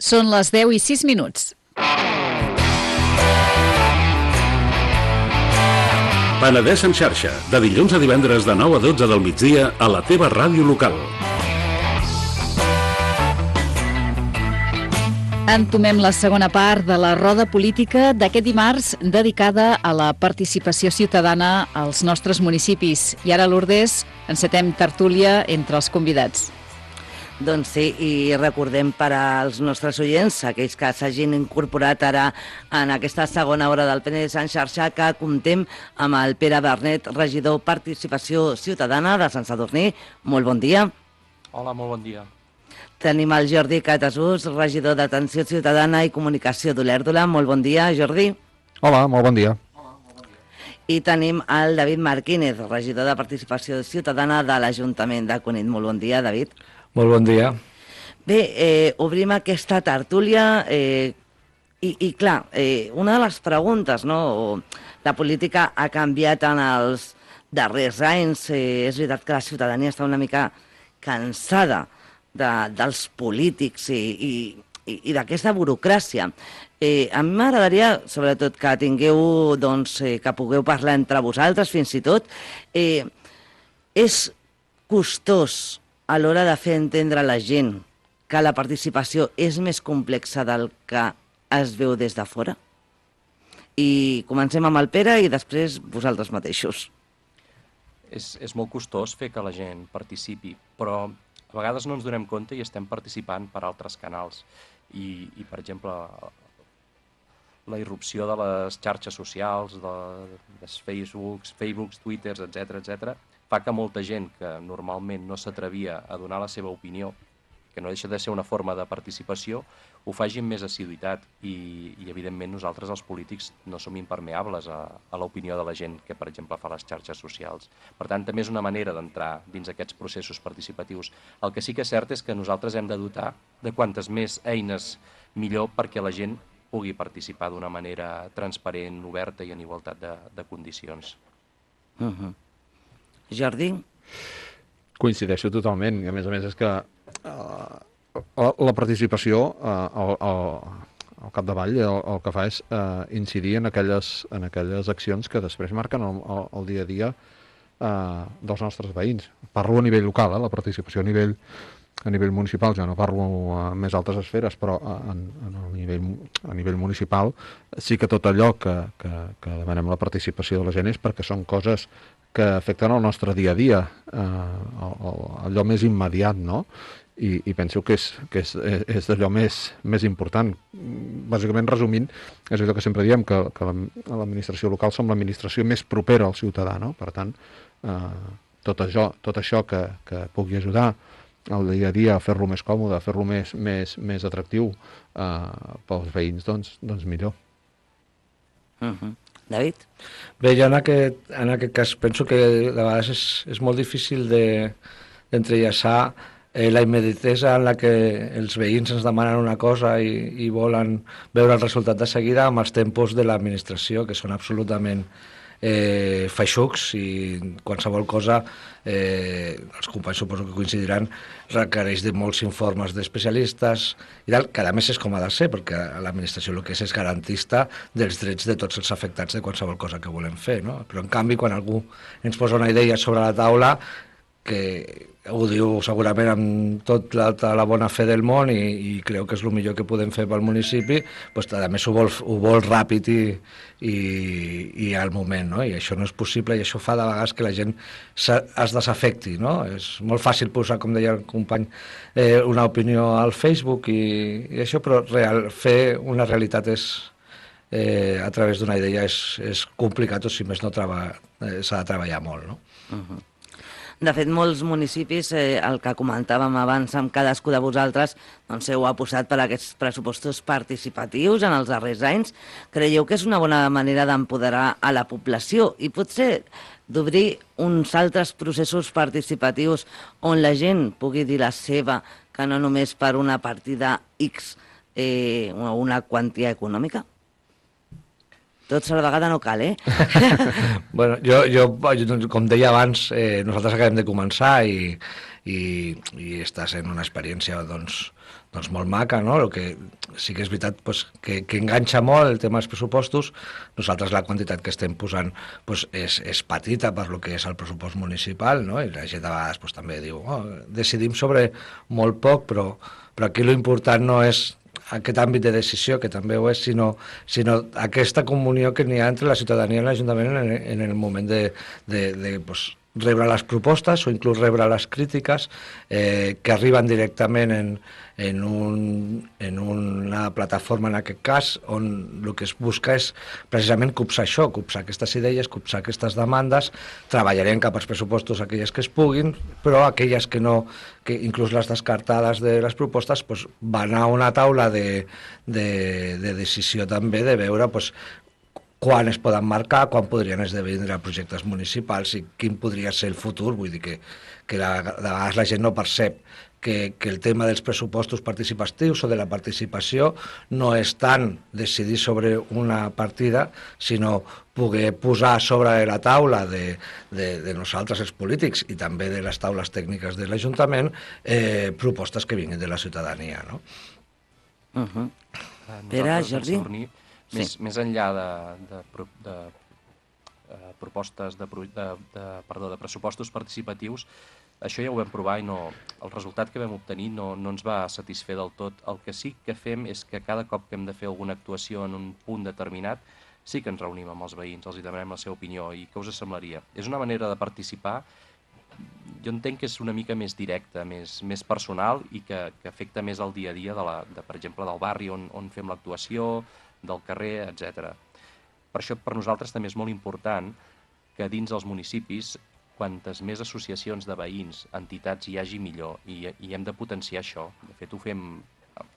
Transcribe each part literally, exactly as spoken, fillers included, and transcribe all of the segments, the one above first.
Són les deu i sis minuts. Penedès en xarxa, de dilluns a divendres de nou a dotze del migdia a la teva ràdio local. Entomem la segona part de la roda política d'aquest dimarts dedicada a la participació ciutadana als nostres municipis. I ara, Lourdes, encetem tertúlia entre els convidats. Doncs sí, i recordem per als nostres oients, aquells que s'hagin incorporat ara en aquesta segona hora del Penedès en xarxa, que comptem amb el Pere Bernet, regidor Participació Ciutadana de Sant Sadurní. Molt bon dia. Hola, molt bon dia. Tenim el Jordi Catasús, regidor d'Atenció Ciutadana i Comunicació d'Olèrdola. Molt bon dia, Jordi. Hola, molt bon dia. I tenim el David Martínez, regidor de Participació Ciutadana de l'Ajuntament de Cunit. Molt bon dia, David. Molt bon dia. Bé, eh, obrim aquesta tertúlia eh, i, i clar, eh, una de les preguntes, no? La política ha canviat en els darrers anys. Eh, és veritat que la ciutadania està una mica cansada de, dels polítics i, i, i, i d'aquesta burocràcia. Eh, a mi m'agradaria, sobretot, que tingueu, doncs, eh, que pugueu parlar entre vosaltres, fins i tot. Eh, és costós a l'hora de fer entendre a la gent que la participació és més complexa del que es veu des de fora? I comencem amb el Pere i després vosaltres mateixos. És, és molt costós fer que la gent participi, però a vegades no ens donem compte i estem participant per altres canals. I, i per exemple, la irrupció de les xarxes socials, de, dels Facebooks, Facebooks, Twitters, etcètera, etcètera, fa que molta gent que normalment no s'atrevia a donar la seva opinió, que no deixa de ser una forma de participació, ho faci amb més assiduïtat i, i evidentment nosaltres els polítics no som impermeables a, a l'opinió de la gent que, per exemple, fa les xarxes socials. Per tant, també és una manera d'entrar dins aquests processos participatius. El que sí que és cert és que nosaltres hem de dotar de quantes més eines millor perquè la gent pugui participar d'una manera transparent, oberta i en igualtat de, de condicions. Uh-huh. Jordi? Coincideixo totalment, i a més a més és que uh, la, la participació uh, al, al, al capdavall el, el que fa és uh, incidir en aquelles, en aquelles accions que després marquen el, el, el dia a dia uh, dels nostres veïns. Parlo a nivell local, eh, la participació a nivell, a nivell municipal, ja no parlo a més altes esferes, però en, en el nivell, a nivell municipal sí que tot allò que, que, que demanem la participació de la gent és perquè són coses que afecten el nostre dia a dia, eh, allò més immediat, no? I, i penso que és, que és, és d'allò més, més important. Bàsicament, resumint, és allò que sempre diem, que, que l'administració local som l'administració més propera al ciutadà, no? Per tant, eh, tot això, tot això que, que pugui ajudar el dia a dia a fer-lo més còmode, a fer-lo més, més, més atractiu eh, pels veïns, doncs, doncs millor. Uh-huh. David? Bé, jo en aquest, en aquest cas penso que de vegades és, és molt difícil de, d'entrellaçar eh, la immediatesa en la que els veïns ens demanen una cosa i, i volen veure el resultat de seguida amb els tempos de l'administració, que són absolutament eh, feixucs, i qualsevol cosa, eh, els companys suposo que coincidiran, requereix de molts informes d'especialistes i tal, que a més és com ha de ser, perquè l'administració el que és és garantista dels drets de tots els afectats de qualsevol cosa que volem fer, no? Però en canvi, quan algú ens posa una idea sobre la taula, que ho diu segurament amb tota la, tota la bona fe del món i, i creu que és el millor que podem fer pel municipi, doncs a més ho vol, ho vol ràpid i, i, i al moment, no? I això no és possible i això fa de vegades que la gent es desafecti, no? És molt fàcil posar, com deia el company, eh, una opinió al Facebook i, i això, però real, fer una realitat és, eh, a través d'una idea és, és complicat, o si més no treba, eh, s'ha de treballar molt, no? Uh-huh. De fet, molts municipis, eh, el que comentàvem abans amb cadascú de vosaltres, doncs heu apostat per aquests pressupostos participatius en els darrers anys. Creieu que és una bona manera d'empoderar a la població i potser d'obrir uns altres processos participatius on la gent pugui dir la seva, que no només per una partida X eh, o una quantia econòmica? Tots a la vegada no cal, eh? Bueno, jo, jo, com deia abans, eh, nosaltres acabem de començar i, i, i està sent una experiència doncs, doncs molt maca, no? El que sí que és veritat pues, que, que enganxa molt el tema dels pressupostos. Nosaltres la quantitat que estem posant pues, és, és petita per lo que és el pressupost municipal, no? I la gent de vegades pues, també diu oh, decidim sobre molt poc, però, però aquí l'important no és aquest àmbit de decisió, que també ho és, sinó, sinó aquesta comunió que n'hi ha entre la ciutadania i l'Ajuntament en, en el moment de, de, de pues, rebre les propostes o inclús rebre les crítiques eh, que arriben directament en, en, un, en una plataforma, en aquest cas, on el que es busca és precisament copsar això, copsar aquestes idees, copsar aquestes demandes. Treballarem cap als pressupostos aquelles que es puguin, però aquelles que no, que inclús les descartades de les propostes, pues, van a una taula de, de, de decisió també, de veure pues, quan es poden marcar, quan podrien esdevenir projectes municipals i quin podria ser el futur. Vull dir que, que la, de vegades la gent no percep que, que el tema dels pressupostos participatius o de la participació no és tant decidir sobre una partida, sinó poder posar sobre la taula de, de, de nosaltres els polítics i també de les taules tècniques de l'Ajuntament eh, propostes que vinguin de la ciutadania, no? Uh-huh. Pere, Jordi? Més, sí. més enllà de, de, de, de uh, propostes de, de, de, perdó, de pressupostos participatius, això ja ho vam provar i no, el resultat que vam obtenir no, no ens va satisfer del tot. El que sí que fem és que cada cop que hem de fer alguna actuació en un punt determinat, sí que ens reunim amb els veïns, els hi demanem la seva opinió i què us semblaria. És una manera de participar, jo entenc que és una mica més directa, més, més personal i que, que afecta més el dia a dia, de la, de, per exemple, del barri on, on fem l'actuació, del carrer, etcètera. Per això per nosaltres també és molt important que dins dels municipis, quantes més associacions de veïns, entitats hi hagi millor, i, i hem de potenciar això. De fet, ho fem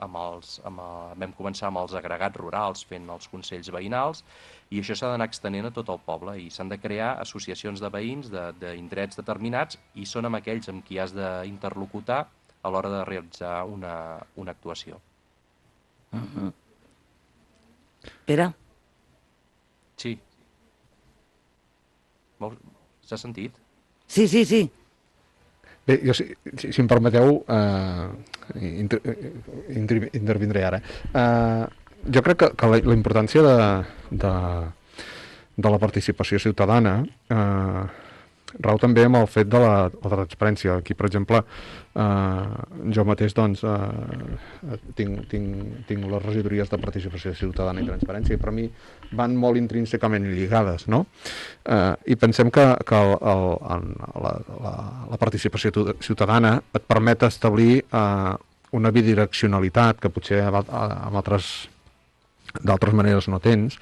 amb els, amb el, vam començar amb els agregats rurals, fent els consells veïnals, i això s'ha d'anar extenent a tot el poble, i s'han de crear associacions de veïns d'indrets de, determinats, i són amb aquells amb qui has d'interlocutar a l'hora de realitzar una, una actuació. Uh-huh. Pere? Sí. S'ha sentit? Sí, sí, sí. Bé, jo, si, si, si em permeteu, eh, inter, inter, intervindré ara. Eh, jo crec que, que la, la importància de, de, de la participació ciutadana eh, rau també amb el fet de la, la transparència. Aquí, per exemple, eh, jo mateix doncs, eh, tinc, tinc, tinc les regidories de participació ciutadana i transparència i per mi van molt intrínsecament lligades, no? Eh, I pensem que, que el, el, la, la, la participació ciutadana et permet establir eh, una bidireccionalitat que potser amb altres d'altres maneres no tens,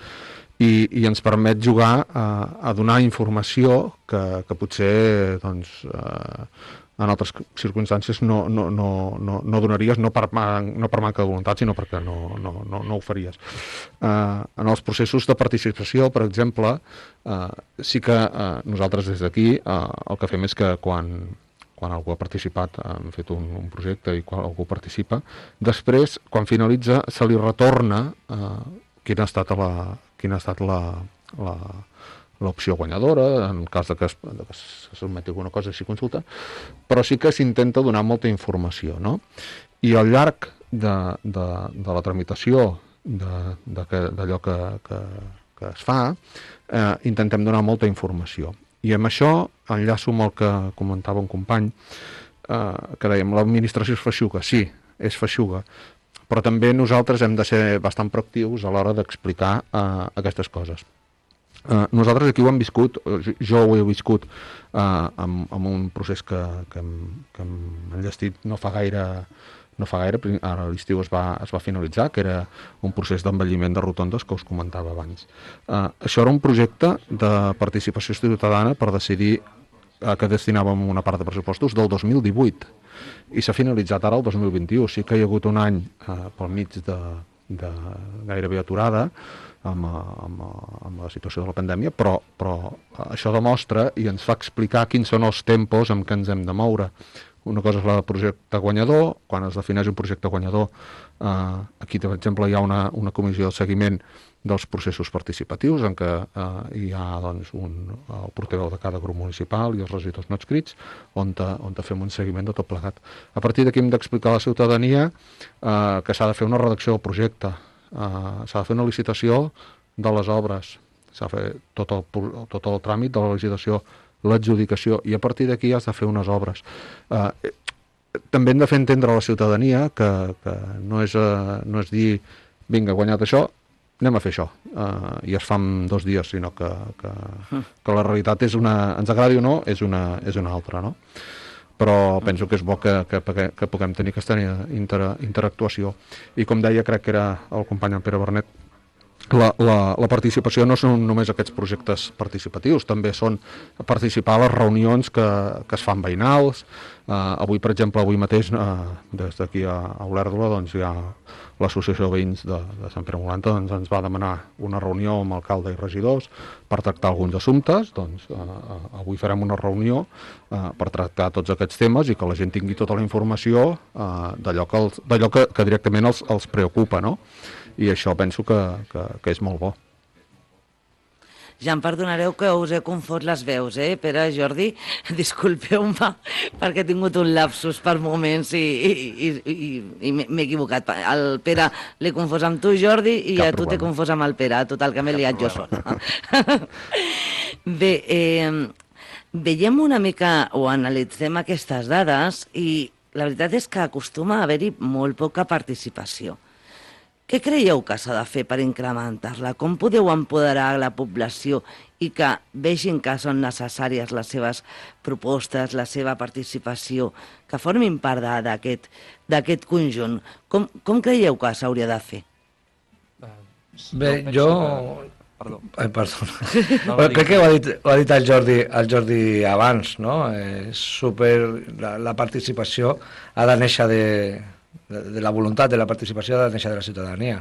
I, i ens permet jugar a, a donar informació que, que potser doncs, eh, en altres circumstàncies no, no, no, no, no donaries, no per, no per manca de voluntat, sinó perquè no, no, no, no ho faries. Eh, en els processos de participació, per exemple, eh, sí que eh, nosaltres des d'aquí eh, el que fem és que quan, quan algú ha participat, hem fet un, un projecte i quan algú participa, després, quan finalitza, se li retorna eh, quina ha estat la quina ha estat la, la, l'opció guanyadora, en cas de que es, de que es sotmeti alguna cosa així consulta, però sí que s'intenta donar molta informació, no? I al llarg de, de, de la tramitació d'allò que, que, que es fa, eh, intentem donar molta informació. I amb això enllaço amb el que comentava un company, eh, que dèiem, l'administració és feixuga. Sí, és feixuga, però també nosaltres hem de ser bastant proactius a l'hora d'explicar eh, aquestes coses. Eh, nosaltres aquí ho hem viscut, jo ho he viscut eh, amb, amb un procés que, que, hem, que hem enllestit no fa gaire, no fa gaire, ara a l'estiu es va, es va finalitzar, que era un procés d'envelliment de rotondes que us comentava abans. Eh, això era un projecte de participació ciutadana per decidir a què destinàvem una part de pressupostos del dos mil divuit. I s'ha finalitzat ara el dos mil vint-i-u. Sí que hi ha hagut un any eh, pel mig de, de gairebé aturada amb, amb, amb la situació de la pandèmia, però, però això demostra i ens fa explicar quins són els tempos en què ens hem de moure. una cosa és el projecte guanyador, quan es defineix un projecte guanyador, eh, aquí, per exemple, hi ha una, una comissió de seguiment dels processos participatius en què eh, hi ha doncs, un, el portaveu de cada grup municipal i els regidors no adscrits, on, te, on te fem un seguiment de tot plegat. A partir d'aquí hem d'explicar a la ciutadania eh, que s'ha de fer una redacció del projecte, eh, s'ha de fer una licitació de les obres, s'ha de fer tot el, tot el tràmit de la licitació, l'adjudicació, i a partir d'aquí has de fer unes obres. Eh, també hem de fer entendre a la ciutadania que, que no, és, eh, no és dir vinga, guanyat això, anem a fer això, uh, i es fa en dos dies, sinó que, que, que la realitat és una, ens agradi o no, és una, és una altra, no? Però penso que és bo que, que, que puguem tenir aquesta inter, interactuació. I com deia, crec que era el company en Pere Bernet, la, la, la participació no són només aquests projectes participatius, també són participar a les reunions que, que es fan veïnals. Uh, avui, per exemple, avui mateix, uh, des d'aquí a, a Olèrdola, doncs hi ha l'Associació de Veïns de, de Sant Pere Molanta, doncs ens va demanar una reunió amb alcalde i regidors per tractar alguns assumptes. Doncs uh, uh, avui farem una reunió uh, per tractar tots aquests temes i que la gent tingui tota la informació uh, d'allò que, els, d'allò que, que directament els, els preocupa, no? I això penso que, que, que és molt bo. Ja em perdonareu que us he confós les veus, eh? Pere, Jordi, disculpeu-me perquè he tingut un lapsus per moments i, i, i, i m'he equivocat. El Pere l'he confós amb tu, Jordi, i Cap a tu t'he problema. confós amb el Pere. Total, que m'he liat jo sola. Bé, eh, veiem una mica o analitzem aquestes dades i la veritat és que acostuma a haver-hi molt poca participació. Què creieu que s'ha de fer per incrementar-la? Com podeu empoderar la població i que vegin que són necessàries les seves propostes, la seva participació, que formin part d'aquest d'aquest conjunt? Com, com creieu que s'hauria de fer? Bé, penso jo... que- Perdó. Ai, perdona. No, no, Crec digues. que ho ha dit, ho ha dit el, Jordi, el Jordi abans, no? Eh, super, la, la participació ha de néixer de, de, de la voluntat de la participació ha de néixer de la ciutadania.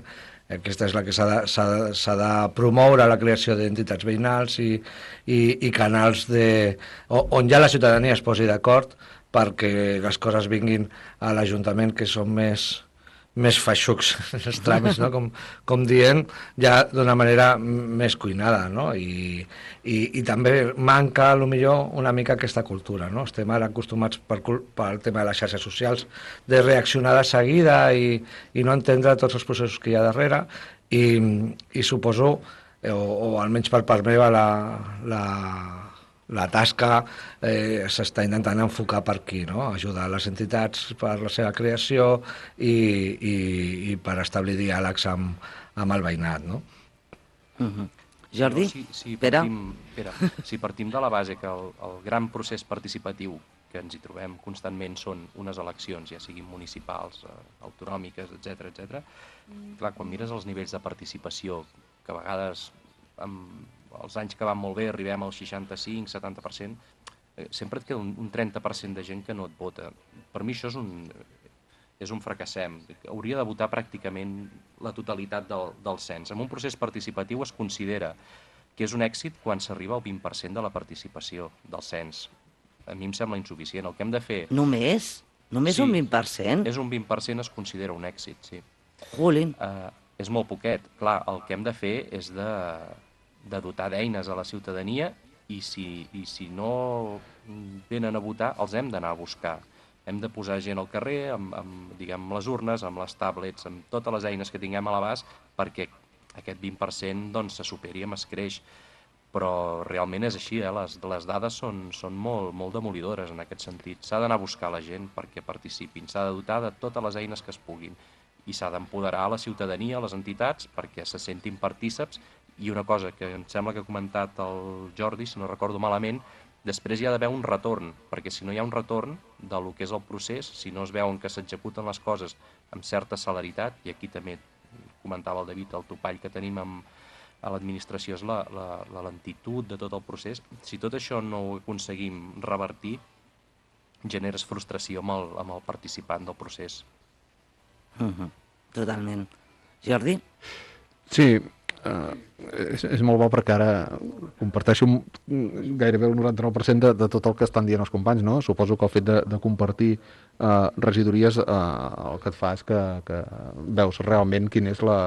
Aquesta és la que s'ha de, s'ha de, s'ha de promoure la creació d'entitats veïnals i, i, i canals de, on ja la ciutadania es posi d'acord perquè les coses vinguin a l'Ajuntament, que són més... més feixucs, els tràmits, no? com, com dient, ja d'una manera més cuinada, no? I, i, i també manca, a lo millor, una mica aquesta cultura, no? Estem ara acostumats per, pel tema de les xarxes socials de reaccionar de seguida i, i no entendre tots els processos que hi ha darrere i, i suposo, o, o almenys per part meva, la... la la tasca eh, s'està intentant enfocar per aquí, no? Ajudar les entitats per la seva creació i, i, i per establir diàlegs amb, amb el veïnat, no? Uh-huh. Jordi? No, si, si Pere? partim, Pere, si partim de la base que el, el gran procés participatiu que ens hi trobem constantment són unes eleccions, ja siguin municipals, eh, autonòmiques, etcètera, etcètera, clar, quan mires els nivells de participació, que a vegades amb els anys que van molt bé arribem al seixanta-cinc setanta per cent, eh, sempre et queda un, un trenta per cent de gent que no et vota. Per mi això és un, és un fracassem. Hauria de votar pràcticament la totalitat del, del cens. En un procés participatiu es considera que és un èxit quan s'arriba al vint per cent de la participació del cens. A mi em sembla insuficient. El que hem de fer... Només? Només Sí. un vint per cent? És un vint per cent es considera un èxit, sí. Jolín. Uh, és molt poquet. Clar, el que hem de fer és de, de dotar d'eines a la ciutadania i si, i si no venen a votar, els hem d'anar a buscar. Hem de posar gent al carrer amb, amb, diguem, les urnes, amb les tablets, amb totes les eines que tinguem a l'abast perquè aquest vint per cent doncs, se superi amb escreix. Però realment és així, eh? les, les dades són, són molt, molt demolidores en aquest sentit. S'ha d'anar a buscar la gent perquè participin, s'ha de dotar de totes les eines que es puguin i s'ha d'empoderar la ciutadania, les entitats, perquè se sentin partíceps. I una cosa que em sembla que ha comentat el Jordi, si no recordo malament, després hi ha d'haver un retorn, perquè si no hi ha un retorn del que és el procés, si no es veuen que s'executen les coses amb certa celeritat, i aquí també comentava el David, el topall que tenim amb, a l'administració és la, la, la lentitud de tot el procés, si tot això no ho aconseguim revertir, generes frustració amb el, amb el participant del procés. Uh-huh. Totalment. Jordi? Sí, eh, és, és molt bo perquè ara comparteixo gairebé el noranta-nou per cent de, de tot el que estan dient els companys, no? Suposo que el fet de, de compartir eh, regidories eh, el que et fa és que, que veus realment quina és la,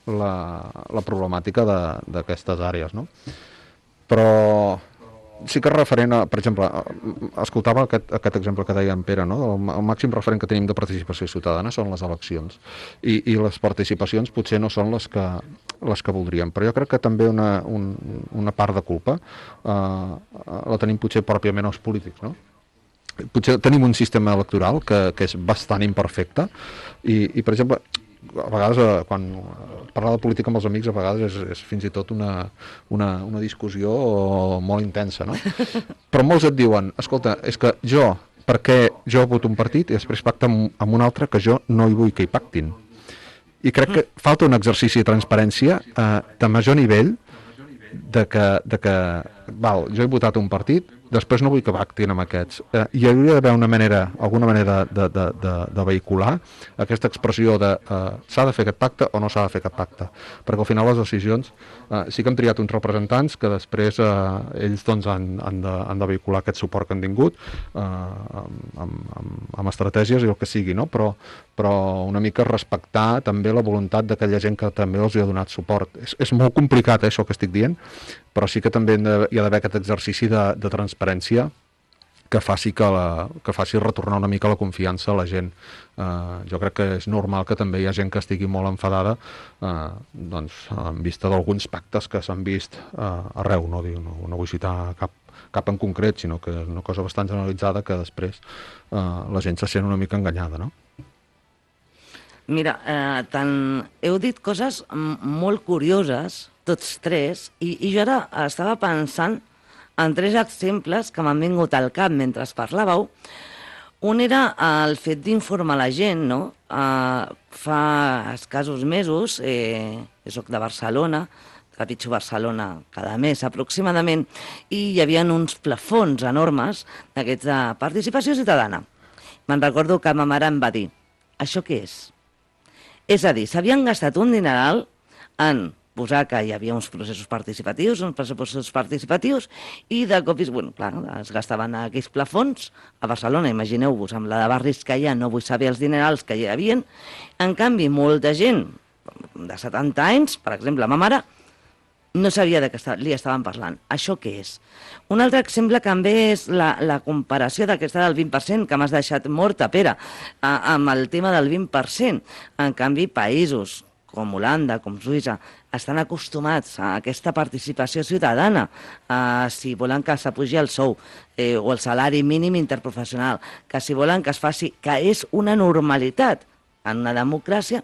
la, la problemàtica d'aquestes àrees, no? Però sí que referent a, per exemple, escoltava aquest, aquest exemple que deia en Pere, no? El, el màxim referent que tenim de participació ciutadana són les eleccions i, i les participacions potser no són les que, les que voldríem, però jo crec que també una, un, una part de culpa eh, la tenim potser pròpiament els polítics, no? Potser tenim un sistema electoral que, que és bastant imperfecte i, i per exemple, a vegades, quan parlar de política amb els amics, a vegades és, és fins i tot una, una, una discussió molt intensa, no? Però molts et diuen, escolta, és que jo, perquè jo voto un partit i després pacta amb, amb un altre que jo no hi vull que hi pactin. I crec que falta un exercici de transparència eh, de major nivell de que, de que val, jo he votat un partit, després no vull que pactin amb aquests. Eh, hi hauria d'haver una manera, alguna manera de, de, de, de vehicular aquesta expressió de eh, s'ha de fer aquest pacte o no s'ha de fer aquest pacte, perquè al final les decisions eh, sí que hem triat uns representants que després eh, ells doncs, han, han, de, han de vehicular aquest suport que han tingut eh, amb, amb, amb estratègies i el que sigui, no? Però, però una mica respectar també la voluntat d'aquella gent que també els hi ha donat suport. És, és molt complicat, eh, això que estic dient, però sí que també hi ha d'haver aquest exercici de, de transparència que faci, que, la, que faci retornar una mica la confiança a la gent. Eh, jo crec que és normal que també hi ha gent que estigui molt enfadada eh, doncs, en vista d'alguns pactes que s'han vist eh, arreu, no, Diu, no, no vull citar cap, cap en concret, sinó que és una cosa bastant generalitzada que després eh, la gent se sent una mica enganyada, no? Mira, eh, tant heu dit coses molt curioses, tots tres, i, i jo ara estava pensant en tres exemples que m'han vingut al cap mentre parlàveu. Un era el fet d'informar la gent, no? Uh, fa escassos mesos, eh, jo soc de Barcelona, trepitjo Barcelona cada mes aproximadament, i hi havia uns plafons enormes d'aquests de participació ciutadana. Me'n recordo que ma mare em va dir, això què és? És a dir, s'havien gastat un dineral en posar que hi havia uns processos participatius, uns pressupostos participatius, i de cop, bueno, clar, es gastaven aquells plafons a Barcelona, imagineu-vos, amb la de barris que hi ha, no vull saber els dinerals que hi havia. En canvi, molta gent de setanta anys, per exemple, ma mare, no sabia de què li estaven parlant. Això què és? Un altre exemple també és la, la comparació d'aquesta del vint per cent, que m'has deixat morta, Pere, amb el tema del vint per cent. En canvi, països com Holanda, com Suïssa, estan acostumats a aquesta participació ciutadana, uh, si volen que s'apugi el sou eh, o el salari mínim interprofessional, que si volen que es faci, que és una normalitat en una democràcia,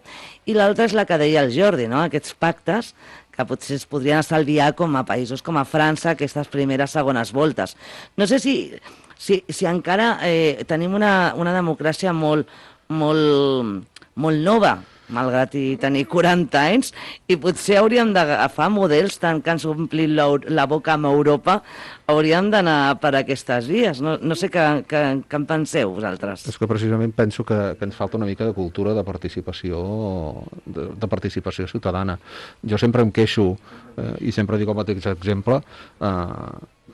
i l'altra és la que deia el Jordi, no? Aquests pactes que potser es podrien estalviar com a països com a França, aquestes primeres, segones voltes. No sé si, si, si encara eh, tenim una, una democràcia molt, molt, molt nova, malgrat i tenir quaranta anys, i potser hauríem d'agafar models tant que ens omplin la, la boca amb Europa, hauríem d'anar per aquestes vies. No, no sé què, què, què en penseu vosaltres. És que precisament penso que, que ens falta una mica de cultura de participació de, de participació ciutadana. Jo sempre em queixo, eh, i sempre dic el mateix exemple, eh,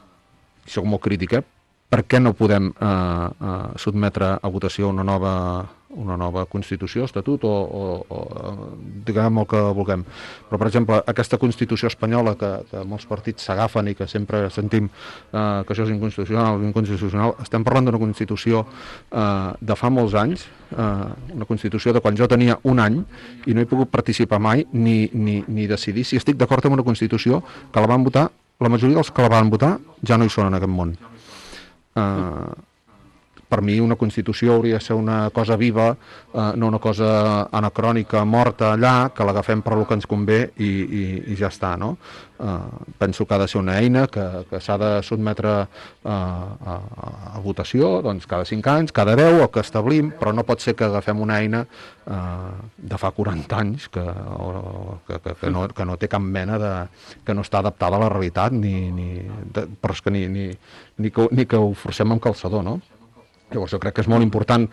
soc molt crític, eh? Per què no podem eh, eh, sotmetre a votació una nova, una nova Constitució, Estatut, o, o, o diguem el que vulguem. Però, per exemple, aquesta Constitució espanyola que, que molts partits s'agafen i que sempre sentim eh, que això és inconstitucional, inconstitucional, estem parlant d'una Constitució eh, de fa molts anys, eh, una Constitució de quan jo tenia un any i no he pogut participar mai ni, ni, ni decidir si estic d'acord amb una Constitució que la van votar, la majoria dels que la van votar ja no hi són en aquest món. Uh, per mi una Constitució hauria de ser una cosa viva, uh, no una cosa anacrònica, morta allà, que l'agafem per lo que ens convé i, i, i ja està, no? Uh, penso que ha de ser una eina que, que s'ha de sotmetre uh, a, a votació, doncs cada cinc anys, cada deu, el que establim, però no pot ser que agafem una eina uh, de fa quaranta anys que, o, que, que, que, no, que no té cap mena de... que no està adaptada a la realitat, ni, ni, de, però és que ni, ni, ni, que, ni que ho forcem amb calçador, no? Llavors jo crec que és molt important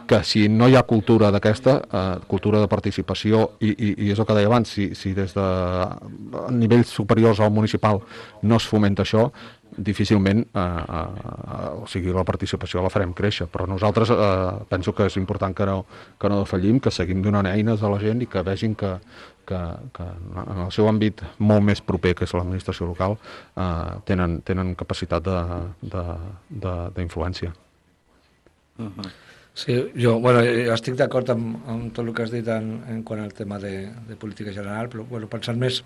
que si no hi ha cultura d'aquesta, eh, cultura de participació, i, i, i és el que deia abans, si, si des de nivells superiors al municipal no es fomenta això, difícilment eh, eh, o sigui, la participació la farem créixer, però nosaltres eh, penso que és important que no, que no defallim, que seguim donant eines a la gent i que vegin que, que, que en el seu àmbit molt més proper, que és l'administració local, eh, tenen, tenen capacitat d'influència. Uh-huh. Sí, jo, bueno, jo estic d'acord amb, amb tot el que has dit en, en quant al tema de, de política general, però bueno, pensant més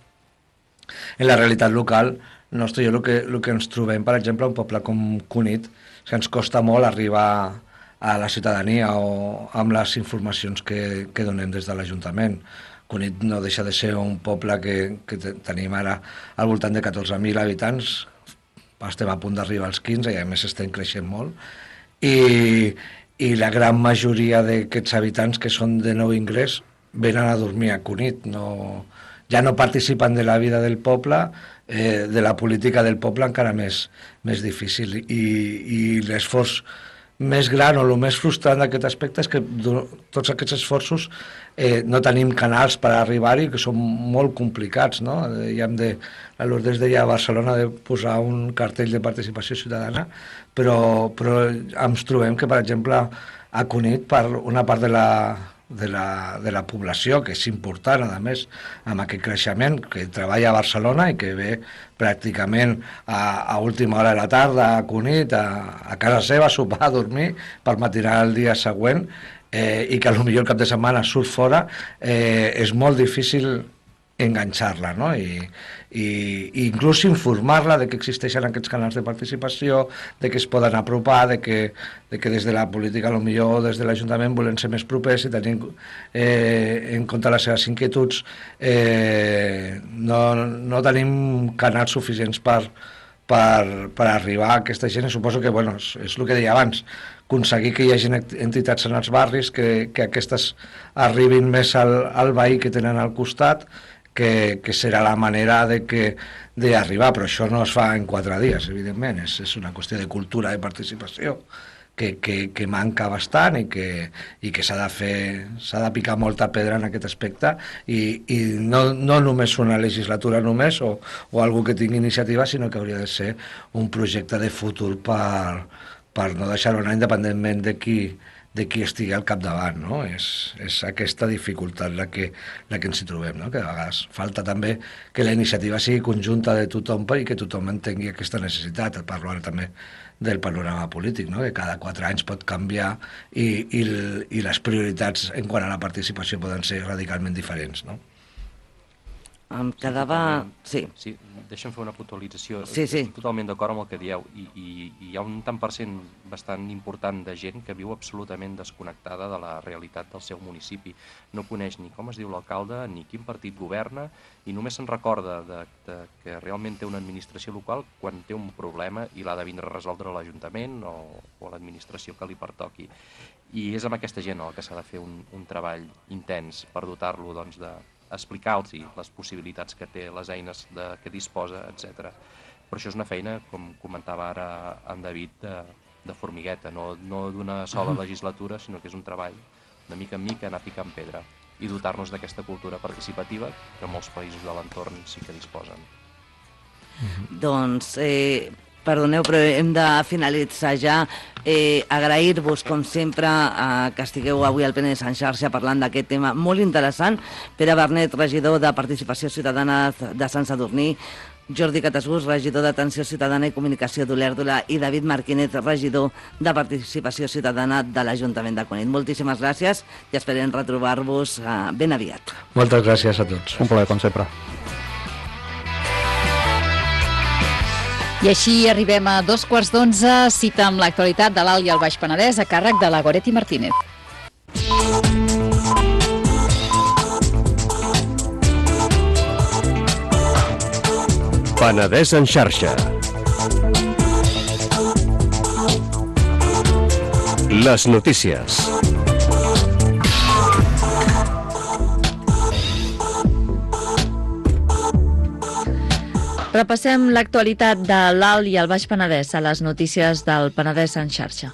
en la realitat local nostra, jo el que, el que ens trobem, per exemple, un poble com Cunit, que ens costa molt arribar a la ciutadania o amb les informacions que, que donem des de l'Ajuntament. Cunit no deixa de ser un poble que, que tenim ara al voltant de catorze mil habitants, estem a punt d'arribar als quinze i a més estem creixent molt, i, i la gran majoria d'aquests habitants que són de nou ingrés venen a dormir a Cunit, no, ja no participen de la vida del poble, eh, de la política del poble encara més, més difícil, i, i l'esforç més gran o el més frustrant d'aquest aspecte és que tots aquests esforços eh, no tenim canals per arribar-hi, que són molt complicats, no? Ja hem de, la Lourdes deia a Barcelona de posar un cartell de participació ciutadana, però, però ens trobem que, per exemple, a Cunit, per una part de la, de la, de la població, que és important, a més, amb aquest creixement, que treballa a Barcelona i que ve pràcticament a, a última hora de la tarda a Cunit, a, a casa seva, a sopar, a dormir, per matinar el dia següent, eh, i que potser el cap de setmana surt fora, eh, és molt difícil enganxar-la, no? I, i, i inclús informar-la de que existeixen aquests canals de participació, de que es poden apropar, de que, de que des de la política, potser des de l'Ajuntament, volem ser més propers i tenir eh, en compte les seves inquietuds, eh, no, no tenim canals suficients per, per, per arribar a aquesta gent, i suposo que, bueno, és, és el que deia abans, aconseguir que hi hagi entitats en els barris, que, que aquestes arribin més al, al veí que tenen al costat, que, que serà la manera de que d'arribar, però això no es fa en quatre dies, evidentment, és, és una qüestió de cultura, de participació, que, que, que manca bastant i que, i que s'ha de fer, s'ha de picar molta pedra en aquest aspecte, i, i no, no només una legislatura només, o, o algú que tingui iniciativa, sinó que hauria de ser un projecte de futur per, per no deixar-ho anar independentment de qui, de qui estigui al capdavant, no? És, és aquesta dificultat la que, la que ens hi trobem, no? Que a vegades falta també que la iniciativa sigui conjunta de tothom i que tothom entengui aquesta necessitat. Parlo ara també del panorama polític, no? Que cada quatre anys pot canviar i, i, i les prioritats en quant a la participació poden ser radicalment diferents, no? Em quedava... Sí. Sí, deixa'm fer una puntualització. Sí, sí. Estic totalment d'acord amb el que dieu, i, i, i hi ha un tant per cent bastant important de gent que viu absolutament desconnectada de la realitat del seu municipi. No coneix ni com es diu l'alcalde, ni quin partit governa, i només se'n recorda de, de que realment té una administració local quan té un problema i l'ha de vindre a resoldre l'Ajuntament o, o l'administració que li pertoqui. I és amb aquesta gent el que s'ha de fer un, un treball intens per dotar-lo, doncs, de explicar-los les possibilitats que té, les eines de, que disposa, etcètera. Però això és una feina, com comentava ara en David, de, de formigueta, no, no d'una sola legislatura, sinó que és un treball de mica en mica, anar picant pedra i dotar-nos d'aquesta cultura participativa que molts països de l'entorn sí que disposen. Doncs, eh, perdoneu, però hem de finalitzar ja. Eh, agrair-vos, com sempre, eh, que estigueu avui al Penedès en xarxa parlant d'aquest tema molt interessant. Pere Bernet, regidor de Participació Ciutadana de Sant Sadurní, Jordi Catasbus, regidor d'Atenció Ciutadana i Comunicació d'Olèrdola, i David Marquínez, regidor de Participació Ciutadana de l'Ajuntament de Cunit. Moltíssimes gràcies i esperem retrobar-vos eh, ben aviat. Moltes gràcies a tots. Un plaer, com sempre. I així arribem a dos quarts d'onze, cita amb l'actualitat de l'Alt i el Baix Penedès a càrrec de la Goretti Martínez. Penedès en xarxa. Les notícies. Repassem l'actualitat de l'Alt i el Baix Penedès a les notícies del Penedès en xarxa.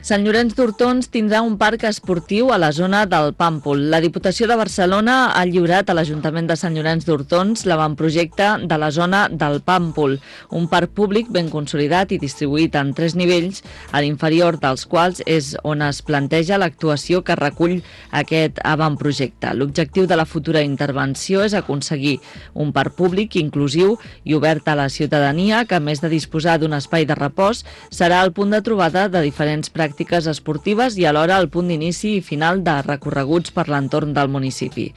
Sant Llorenç d'Hortons tindrà un parc esportiu a la zona del Pàmpol. La Diputació de Barcelona ha lliurat a l'Ajuntament de Sant Llorenç d'Hortons l'avantprojecte de la zona del Pàmpol, un parc públic ben consolidat i distribuït en tres nivells, a l'inferior dels quals és on es planteja l'actuació que recull aquest avantprojecte. L'objectiu de la futura intervenció és aconseguir un parc públic inclusiu i obert a la ciutadania que, a més de disposar d'un espai de repòs, serà el punt de trobada de diferents pràctiques esportives i alhora el punt d'inici i final de recorreguts per l'entorn del municipi.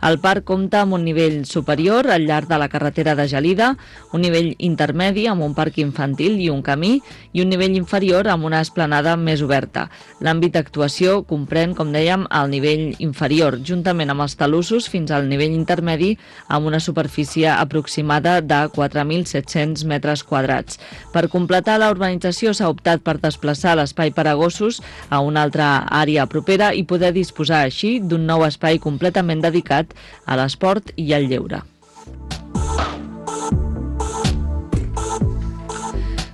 El parc compta amb un nivell superior al llarg de la carretera de Gelida, un nivell intermedi amb un parc infantil i un camí i un nivell inferior amb una esplanada més oberta. L'àmbit d'actuació comprèn, com dèiem, el nivell inferior, juntament amb els talussos fins al nivell intermedi amb una superfície aproximada de quatre mil set-cents metres quadrats. Per completar la urbanització s'ha optat per desplaçar l'espai per a gossos a una altra àrea propera i poder disposar així d'un nou espai completament dedicat a l'esport i al lleure.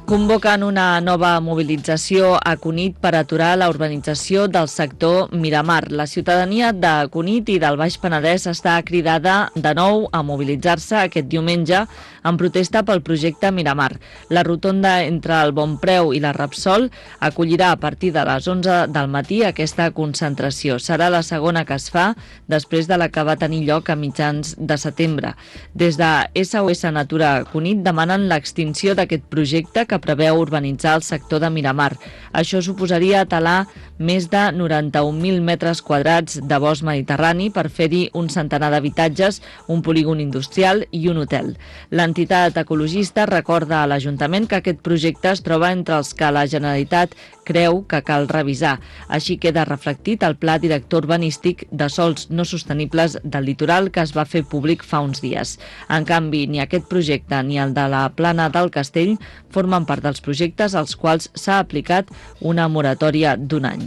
Convoquen una nova mobilització a Cunit per aturar la urbanització del sector Miramar. La ciutadania de Cunit i del Baix Penedès està cridada de nou a mobilitzar-se aquest diumenge en protesta pel projecte Miramar. La rotonda entre el Bonpreu i la Repsol acollirà a partir de les onze del matí aquesta concentració. Serà la segona que es fa després de la que va tenir lloc a mitjans de setembre. Des de S O S Natura Cunit demanen l'extinció d'aquest projecte que que preveu urbanitzar el sector de Miramar. Això suposaria talar més de noranta-un mil metres quadrats de bosc mediterrani per fer-hi un centenar d'habitatges, un polígon industrial i un hotel. L'entitat ecologista recorda a l'Ajuntament que aquest projecte es troba entre els que la Generalitat creu que cal revisar. Així queda reflectit el Pla Director Urbanístic de Sòls No Sostenibles del Litoral que es va fer públic fa uns dies. En canvi, ni aquest projecte ni el de la Plana del Castell formen part dels projectes als quals s'ha aplicat una moratòria d'un any.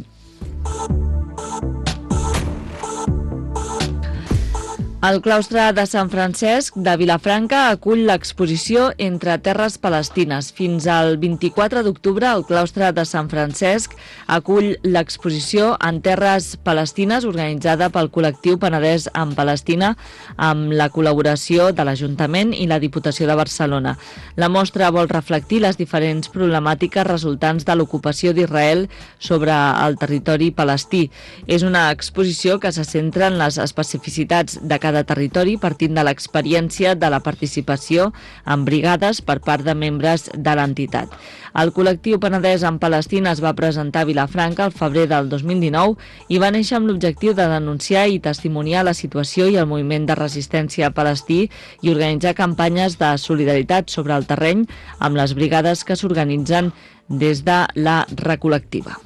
El claustre de Sant Francesc de Vilafranca acull l'exposició Entre terres palestines. Fins al vint-i-quatre d'octubre, el claustre de Sant Francesc acull l'exposició En terres palestines organitzada pel col·lectiu Penedès en Palestina amb la col·laboració de l'Ajuntament i la Diputació de Barcelona. La mostra vol reflectir les diferents problemàtiques resultants de l'ocupació d'Israel sobre el territori palestí. És una exposició que se centra en les especificitats de cada territori partint de l'experiència de la participació en brigades per part de membres de l'entitat. El col·lectiu Penedès en Palestina es va presentar a Vilafranca el febrer del dos mil dinou i va néixer amb l'objectiu de denunciar i testimoniar la situació i el moviment de resistència palestí i organitzar campanyes de solidaritat sobre el terreny amb les brigades que s'organitzen des de la recol·lectiva.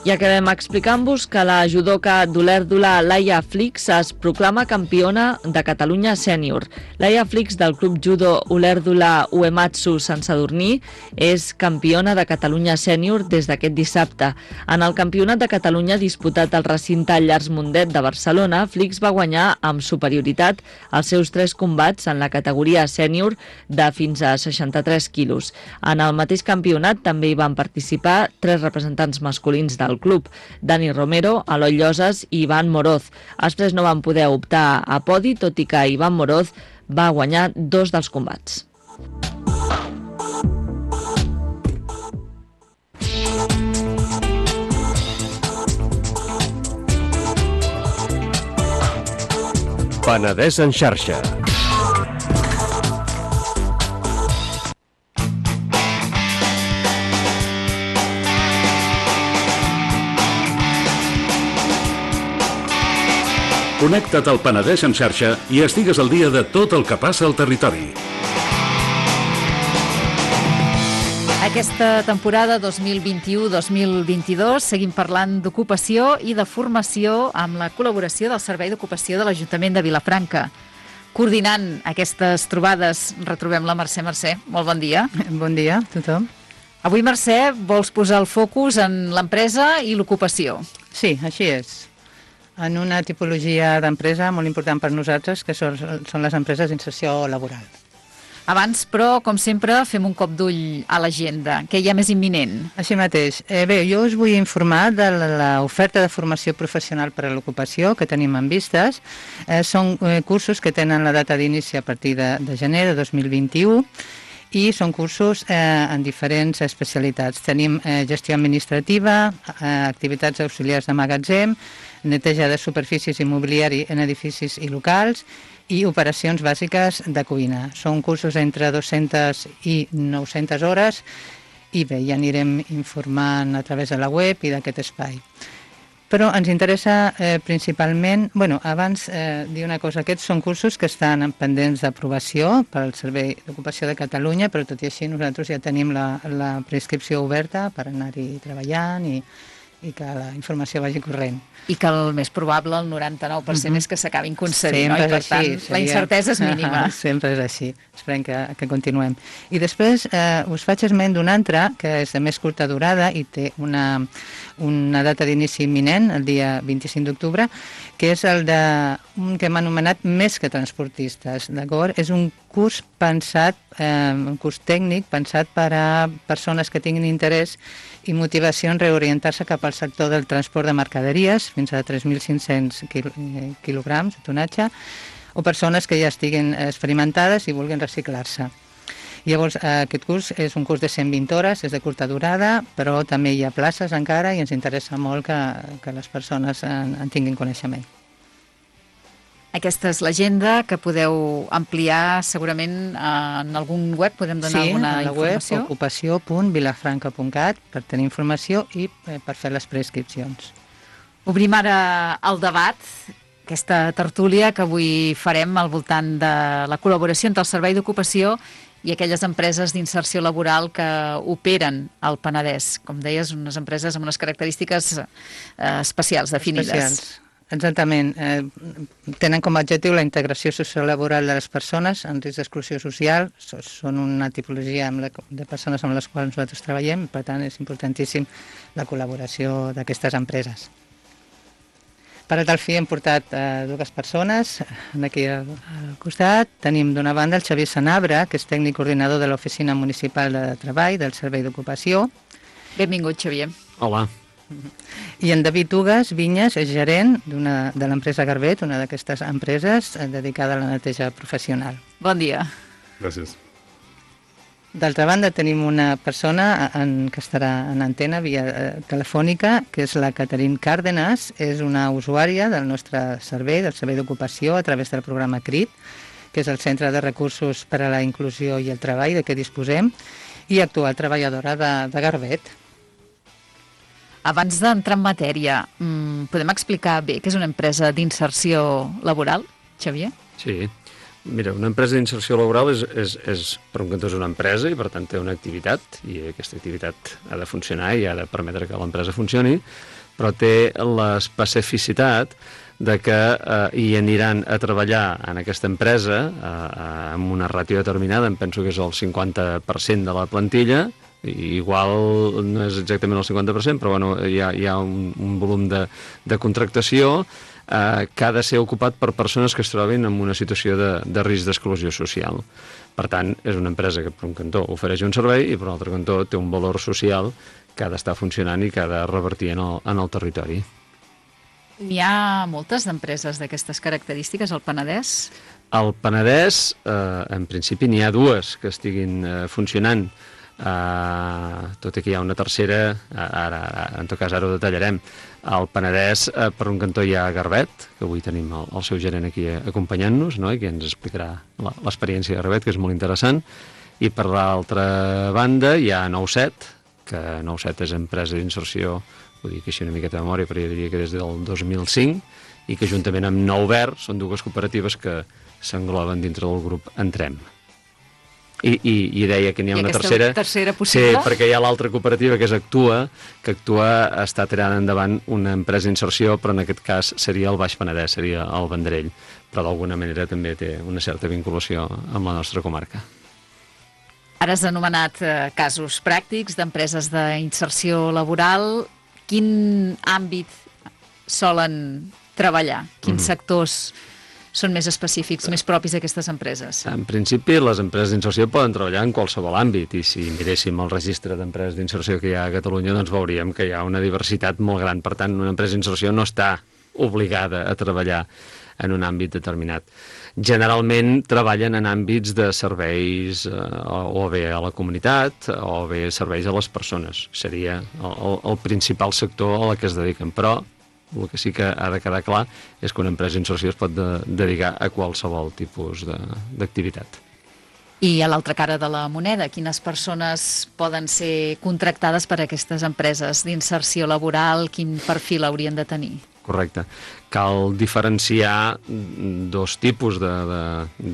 I acabem explicant-vos que la judoka d'Olèrdola Laia Flix es proclama campiona de Catalunya sènior. Laia Flix del Club Judo Olèrdola Uematsu Sant Sadurní és campiona de Catalunya sènior des d'aquest dissabte. En el Campionat de Catalunya disputat al recinte Llars Mundet de Barcelona, Flix va guanyar amb superioritat els seus tres combats en la categoria sènior de fins a seixanta-tres quilos. En el mateix campionat també hi van participar tres representants masculins del club, Dani Romero, Eloi Lloses i Ivan Moroz. Els tres no van poder optar a podi, tot i que Ivan Moroz va guanyar dos dels combats. Penedès en xarxa. Connecta't al Penedès en xarxa i estigues al dia de tot el que passa al territori. Aquesta temporada dos mil vint-i-u dos mil vint-i-dos seguim parlant d'ocupació i de formació amb la col·laboració del Servei d'Ocupació de l'Ajuntament de Vilafranca. Coordinant aquestes trobades retrobem la Mercè. Mercè, molt bon dia. Bon dia a tothom. Avui, Mercè, vols posar el focus en l'empresa i l'ocupació. Sí, així és. En una tipologia d'empresa molt important per nosaltres, que són, són les empreses d'inserció laboral. Abans, però, com sempre, fem un cop d'ull a l'agenda. Què hi ha més imminent? Així mateix. Eh, bé, jo us vull informar de l'oferta de formació professional per a l'ocupació que tenim en vistes. Eh, són eh, cursos que tenen la data d'inici a partir de, de gener de dos mil vint-i-u i són cursos eh, en diferents especialitats. Tenim eh, gestió administrativa, eh, activitats auxiliars de magatzem, neteja de superfícies i mobiliari en edificis i locals, i operacions bàsiques de cuina. Són cursos entre dues-centes i nou-centes hores i bé, ja anirem informant a través de la web i d'aquest espai. Però ens interessa eh, principalment, bueno, abans eh, dir una cosa, aquests són cursos que estan pendents d'aprovació pel Servei d'Ocupació de Catalunya, però tot i així nosaltres ja tenim la, la prescripció oberta per anar-hi treballant i, i que la informació vagi corrent. I que el més probable, el noranta-nou per cent, uh-huh. és que s'acabin concedint, Sempre no? I per així, tant, seria... la incertesa és mínima. Sempre és així. Esperem que, que continuem. I després eh, us faig esment d'un altre, que és de més curta durada i té una, una data d'inici imminent, el dia vint-i-cinc d'octubre, que és el de un que hem anomenat Més que transportistes, d'acord? És un curs pensat, eh, un curs tècnic pensat per a persones que tinguin interès i motivació en reorientar-se cap al sector del transport de mercaderies, fins a tres mil cinc-cents quil quilograms de tonatge, o persones que ja estiguin experimentades i vulguin reciclar-se. Llavors, aquest curs és un curs de cent vint hores, és de curta durada, però també hi ha places encara i ens interessa molt que, que les persones en, en tinguin coneixement. Aquesta és l'agenda que podeu ampliar segurament en algun web, podem donar sí, alguna informació? informació? Sí, ocupació punt vilafranca punt cat per tenir informació i eh, per fer les prescripcions. Obrim ara el debat, aquesta tertúlia que avui farem al voltant de la col·laboració entre el Servei d'Ocupació i aquelles empreses d'inserció laboral que operen al Penedès. Com deies, unes empreses amb unes característiques eh, especials, definides. Especials. Exactament. Eh, tenen com a objectiu la integració sociolaboral de les persones en risc d'exclusió social. Són una tipologia amb la, de persones amb les quals nosaltres treballem, per tant és importantíssim la col·laboració d'aquestes empreses. Per a tal fi hem portat eh, dues persones aquí al, al costat. Tenim d'una banda el Xavier Sanabra, que és tècnic coordinador de l'Oficina Municipal de Treball del Servei d'Ocupació. Benvingut, Xavier. Hola. I en David Ugas Vinyes és gerent de l'empresa Garbet, una d'aquestes empreses dedicada a la neteja professional. Bon dia. Gràcies. D'altra banda, tenim una persona en, que estarà en antena via eh, telefònica, que és la Caterine Cárdenas, és una usuària del nostre servei, del Servei d'Ocupació, a través del programa CRIT, que és el Centre de Recursos per a la Inclusió i el Treball, de què disposem, i actual treballadora de, de Garbet. Abans d'entrar en matèria, podem explicar bé què és una empresa d'inserció laboral, Xavier? Sí. Mira, una empresa d'inserció laboral és, és, és, per un cantó, és una empresa i, per tant, té una activitat, i aquesta activitat ha de funcionar i ha de permetre que l'empresa funcioni, però té l'especificitat de que eh, hi aniran a treballar en aquesta empresa eh, amb una ràtio determinada, em penso que és el cinquanta per cent de la plantilla, i igual no és exactament el cinquanta per cent, però bueno, hi ha, hi ha un, un volum de, de contractació eh, que ha de ser ocupat per persones que es trobin en una situació de, de risc d'exclusió social. Per tant, és una empresa que per un cantó ofereix un servei i per un altre cantó té un valor social que ha d'estar funcionant i que ha de revertir en el, en el territori. N'hi ha moltes d'empreses d'aquestes característiques al Penedès? Al Penedès, eh, en principi, n'hi ha dues que estiguin eh, funcionant. Uh, tot i que hi ha una tercera, ara, en tot cas ara ho detallarem. Al Penedès, uh, per un cantó hi ha Garbet, que avui tenim el, el seu gerent aquí acompanyant-nos, no? I que ens explicarà l'experiència de Garbet, que és molt interessant. I per l'altra banda hi ha nou set, que nou set és empresa d'inserció, ho dic així una miqueta de memòria, però jo diria que des del dos mil cinc, i que juntament amb Nou Verd són dues cooperatives que s'engloben dintre del grup Entrem. I, i, i deia que n'hi ha I una tercera, tercera possible? Sí, perquè hi ha l'altra cooperativa que és Actua, que Actua està tirant endavant una empresa d'inserció, però en aquest cas seria el Baix Penedès, seria el Vendrell, però d'alguna manera també té una certa vinculació amb la nostra comarca. Ara has anomenat eh, casos pràctics d'empreses d'inserció laboral. Quin àmbit solen treballar? Quins mm-hmm. sectors són més específics, més propis d'aquestes empreses? En principi, les empreses d'inserció poden treballar en qualsevol àmbit, i si miréssim el registre d'empreses d'inserció que hi ha a Catalunya, doncs veuríem que hi ha una diversitat molt gran. Per tant, una empresa d'inserció no està obligada a treballar en un àmbit determinat. Generalment treballen en àmbits de serveis eh, o bé a la comunitat o bé serveis a les persones. Seria el, el principal sector a la que es dediquen, però el que sí que ha de quedar clar és que una empresa d'inserció es pot de, dedicar a qualsevol tipus d'activitat. I a l'altra cara de la moneda, quines persones poden ser contractades per aquestes empreses d'inserció laboral? Quin perfil haurien de tenir? Correcte. Cal diferenciar dos tipus de, de,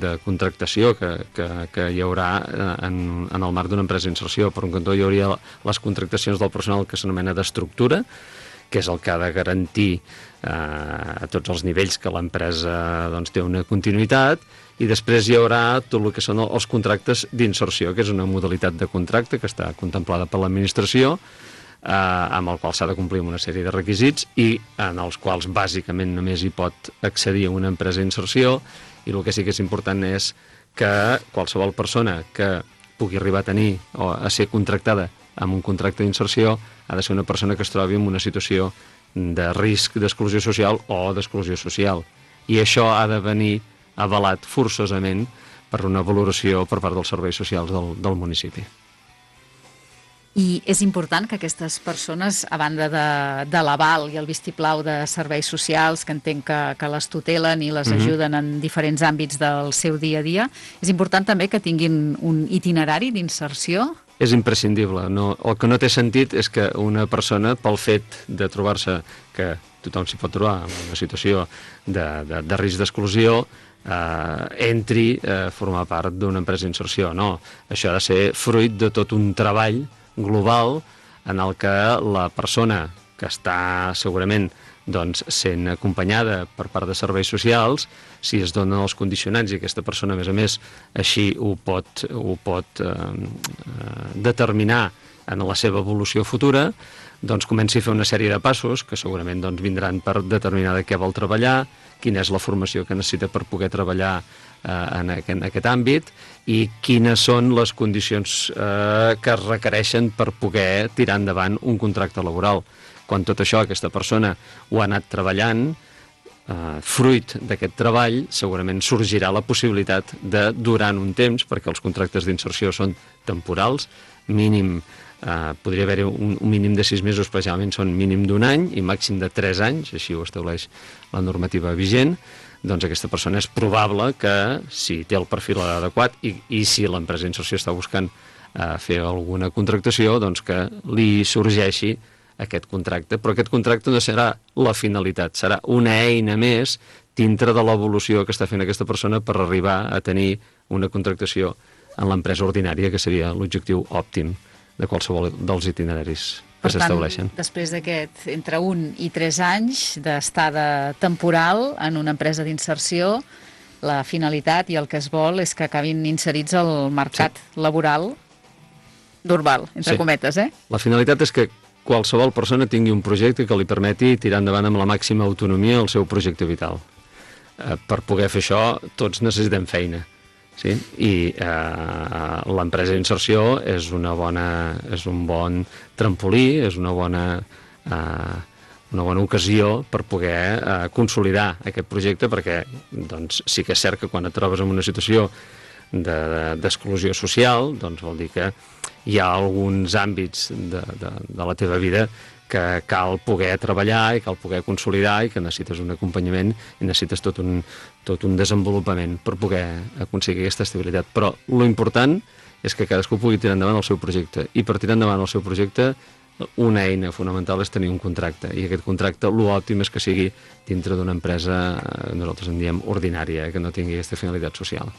de contractació que, que, que hi haurà en, en el marc d'una empresa d'inserció. Per un cantó hi hauria les contractacions del personal que s'anomena d'estructura, que és el que ha de garantir eh, a tots els nivells que l'empresa doncs, té una continuïtat, i després hi haurà tot el que són els contractes d'inserció, que és una modalitat de contracte que està contemplada per l'administració, eh, amb el qual s'ha de complir una sèrie de requisits i en els quals bàsicament només hi pot accedir a una empresa d'inserció, i el que sí que és important és que qualsevol persona que pugui arribar a tenir o a ser contractada amb un contracte d'inserció ha de ser una persona que es trobi en una situació de risc d'exclusió social o d'exclusió social. I això ha de venir avalat forçosament per una valoració per part dels serveis socials del, del municipi. I és important que aquestes persones, a banda de, de l'aval i el vistiplau de serveis socials, que entenc que, que les tutelen i les mm-hmm. ajuden en diferents àmbits del seu dia a dia, és important també que tinguin un itinerari d'inserció? És imprescindible. No, el que no té sentit és que una persona, pel fet de trobar-se, que tothom s'hi pot trobar en una situació de, de, de risc d'exclusió, eh, entri a formar part d'una empresa d'inserció. No, això ha de ser fruit de tot un treball global en el que la persona que està segurament doncs, sent acompanyada per part de serveis socials, si es donen els condicionants i aquesta persona, a més a més, així ho pot, ho pot eh, determinar en la seva evolució futura, doncs comenci a fer una sèrie de passos que segurament doncs, vindran per determinar de què vol treballar, quina és la formació que necessita per poder treballar eh, en, aquest, en aquest àmbit i quines són les condicions eh, que es requereixen per poder tirar endavant un contracte laboral. Quan tot això aquesta persona ho ha anat treballant, eh, fruit d'aquest treball, segurament sorgirà la possibilitat de, durant un temps, perquè els contractes d'inserció són temporals, mínim, eh, podria haver-hi un, un mínim de sis mesos, especialment són mínim d'un any i màxim de tres anys, així ho estableix la normativa vigent, doncs aquesta persona és probable que, si té el perfil adequat i, i si l'empresa d'inserció està buscant eh, fer alguna contractació, doncs que li sorgeixi aquest contracte, però aquest contracte no serà la finalitat, serà una eina més dintre de l'evolució que està fent aquesta persona per arribar a tenir una contractació en l'empresa ordinària, que seria l'objectiu òptim de qualsevol dels itineraris que s'estableixen. Per tant, després d'aquest entre un i tres anys d'estada temporal en una empresa d'inserció, la finalitat i el que es vol és que acabin inserits al mercat sí. laboral normal, entre sí. cometes, eh? La finalitat és que qualsevol persona tingui un projecte que li permeti tirar endavant amb la màxima autonomia el seu projecte vital. Eh, per poder fer això, tots necessitem feina. Sí? I eh, l'empresa d'inserció és, una bona, és un bon trampolí, és una bona, eh, una bona ocasió per poder eh, consolidar aquest projecte, perquè doncs, sí que és cert que quan et trobes en una situació d'exclusió de, de, social, doncs vol dir que hi ha alguns àmbits de, de, de la teva vida que cal poder treballar i cal poder consolidar i que necessites un acompanyament i necessites tot un, tot un desenvolupament per poder aconseguir aquesta estabilitat. Però lo important és que cadascú pugui tirar endavant el seu projecte i per tirar endavant el seu projecte una eina fonamental és tenir un contracte i aquest contracte l'òptim és que sigui dintre d'una empresa, nosaltres en diem ordinària, que no tingui aquesta finalitat social.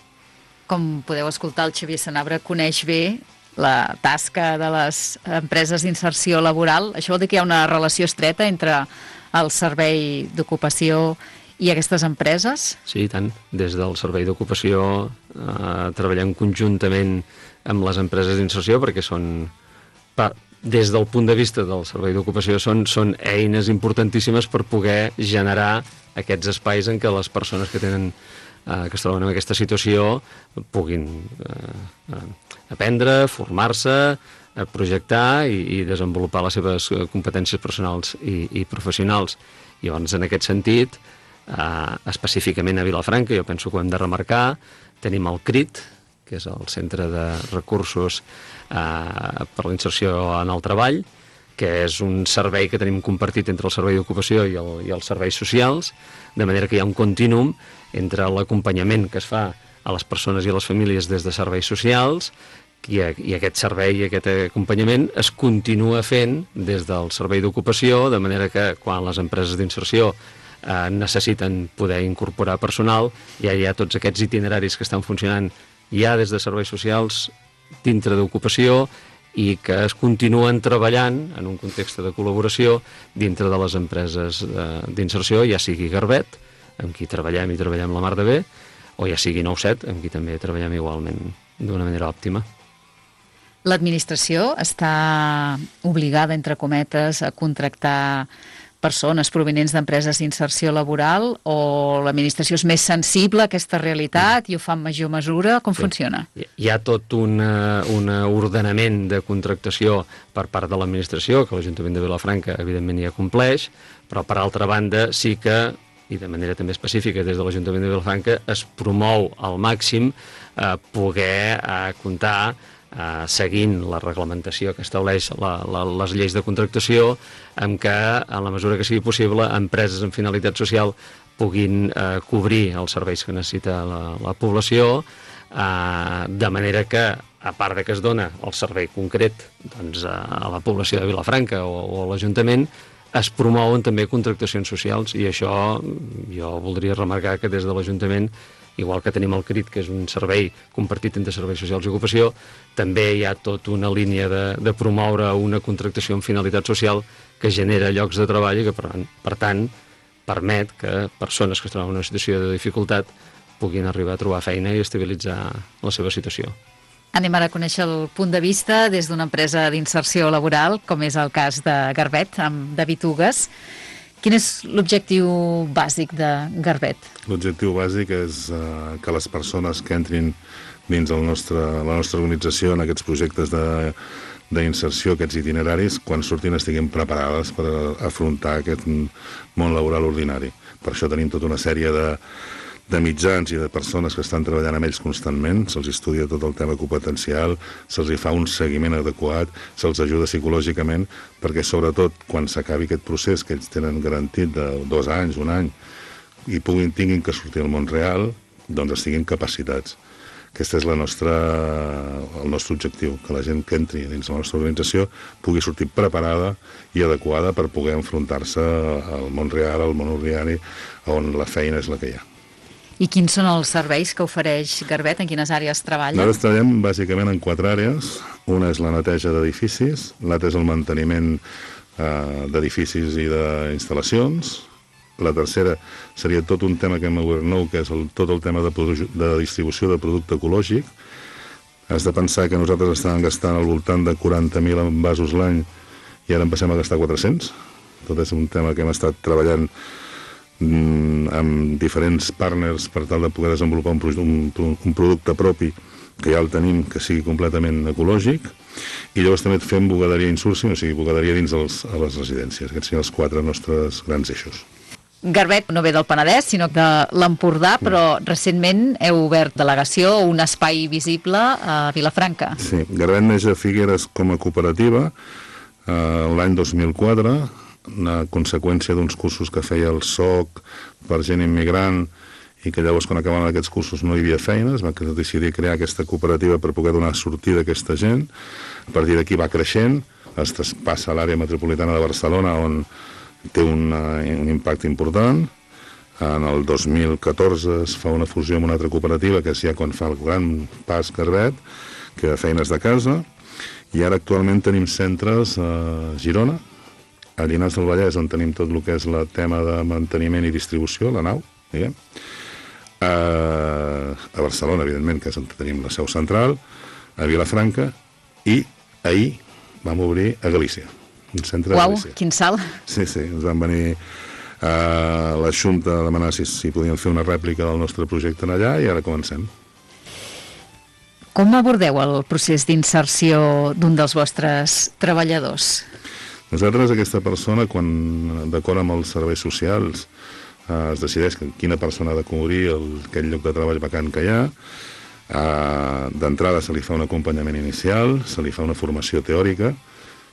Com podeu escoltar, el Xavier Sanabra coneix bé la tasca de les empreses d'inserció laboral. Això vol dir que hi ha una relació estreta entre el servei d'ocupació i aquestes empreses? Sí, i tant. Des del servei d'ocupació eh, treballem conjuntament amb les empreses d'inserció perquè són pa des del punt de vista del servei d'ocupació són, són eines importantíssimes per poder generar aquests espais en què les persones que tenen eh, que es troben en aquesta situació puguin eh, aprendre, formar-se, projectar i, i desenvolupar les seves competències personals i, i professionals. I llavors, en aquest sentit, eh, específicament a Vilafranca, jo penso que ho hem de remarcar, tenim el C R I T, que és el Centre de Recursos eh, per la Inserció en el Treball, que és un servei que tenim compartit entre el Servei d'Ocupació i, el, i els serveis socials, de manera que hi ha un contínuum entre l'acompanyament que es fa a les persones i a les famílies des de serveis socials i, i aquest servei i aquest acompanyament es continua fent des del Servei d'Ocupació, de manera que quan les empreses d'inserció eh, necessiten poder incorporar personal, ja hi ha tots aquests itineraris que estan funcionant ja des de serveis socials dintre d'ocupació i que es continuen treballant en un context de col·laboració dintre de les empreses d'inserció, ja sigui Garbet, amb qui treballem i treballem la mar de bé, o ja sigui nou set, amb qui també treballem igualment d'una manera òptima. L'administració està obligada, entre cometes, a contractar persones provenents d'empreses d'inserció laboral o l'administració és més sensible a aquesta realitat i ho fa en major mesura? Com sí. funciona? Hi ha tot un ordenament de contractació per part de l'administració, que l'Ajuntament de Vilafranca evidentment ja compleix, però per altra banda sí que, i de manera també específica des de l'Ajuntament de Vilafranca, es promou al màxim eh, poder eh, comptar Uh, seguint la reglamentació que estableix la, la, les lleis de contractació, en què, en la mesura que sigui possible, empreses amb finalitat social puguin uh, cobrir els serveis que necessita la, la població, uh, de manera que, a part de que es dona el servei concret doncs, a la població de Vilafranca o, o a l'Ajuntament, es promouen també contractacions socials, i això jo voldria remarcar que des de l'Ajuntament, igual que tenim el C R I T, que és un servei compartit entre serveis socials i ocupació, també hi ha tota una línia de, de promoure una contractació amb finalitat social que genera llocs de treball i que, per, per tant, permet que persones que es troben en una situació de dificultat puguin arribar a trobar feina i estabilitzar la seva situació. Anem ara a conèixer el punt de vista des d'una empresa d'inserció laboral, com és el cas de Garbet, amb David Ugues. Quin és l'objectiu bàsic de Garbet? L'objectiu bàsic és uh, que les persones que entrin dins el nostre, la nostra organització en aquests projectes d'inserció, aquests itineraris, quan surtin estiguin preparades per afrontar aquest món laboral ordinari. Per això tenim tota una sèrie de, de mitjans i de persones que estan treballant amb ells constantment, se'ls estudia tot el tema competencial, se'ls fa un seguiment adequat, se'ls ajuda psicològicament, perquè sobretot quan s'acabi aquest procés que ells tenen garantit de dos anys, un any, i puguin, tinguin que sortir al món real, doncs estiguin capacitats. Aquest és la nostra, el nostre objectiu, que la gent que entri dins la nostra organització pugui sortir preparada i adequada per poder enfrontar-se al món real, al món ordinari, on la feina és la que hi ha. I quins són els serveis que ofereix Garbet? En quines àrees treballa? Nosaltres treballem bàsicament en quatre àrees. Una és la neteja d'edificis, l'altra és el manteniment eh, d'edificis i d'instal·lacions, la tercera seria tot un tema que hem obert nou, que és el, tot el tema de, de distribució de producte ecològic. Has de pensar que nosaltres estàvem gastant al voltant de quaranta mil envasos l'any i ara en passem a gastar quatre-cents. Tot és un tema que hem estat treballant amb diferents partners per tal de poder desenvolupar un, un, un producte propi que ja el tenim, que sigui completament ecològic, i llavors també fem bugaderia insourcing, o sigui, bugaderia dins els, a les residències. Aquests són els quatre nostres grans eixos. Garbet no ve del Penedès, sinó de l'Empordà, però recentment heu obert delegació o un espai visible a Vilafranca. Sí, Garbet neix a Figueres com a cooperativa eh, l'any dos mil quatre, una conseqüència d'uns cursos que feia el S O C per gent immigrant i que llavors quan acabaven aquests cursos no hi havia feina, es va decidir crear aquesta cooperativa per poder donar sortida a aquesta gent. A partir d'aquí va creixent, es traspassa a l'àrea metropolitana de Barcelona on té un, un impacte important. En el dos mil catorze es fa una fusió amb una altra cooperativa, que és ja quan fa el gran pas Garbet, que de feines de casa, i ara actualment tenim centres a Girona, a Llinars del Vallès, on tenim tot el que és el tema de manteniment i distribució, la nau, diguem. A, a Barcelona, evidentment, que és on tenim la seu central, a Vilafranca, i ahir vam obrir a Galícia, un centre Uau, de Galícia. quin salt! Sí, sí, ens van venir a la Junta a demanar si, si podíem fer una rèplica del nostre projecte allà i ara comencem. Com abordeu el procés d'inserció d'un dels vostres treballadors? Nosaltres, aquesta persona, quan d'acord amb els serveis socials eh, es decideix que quina persona ha de cobrir el, aquell lloc de treball vacant que hi ha, Uh, d'entrada se li fa un acompanyament inicial, se li fa una formació teòrica,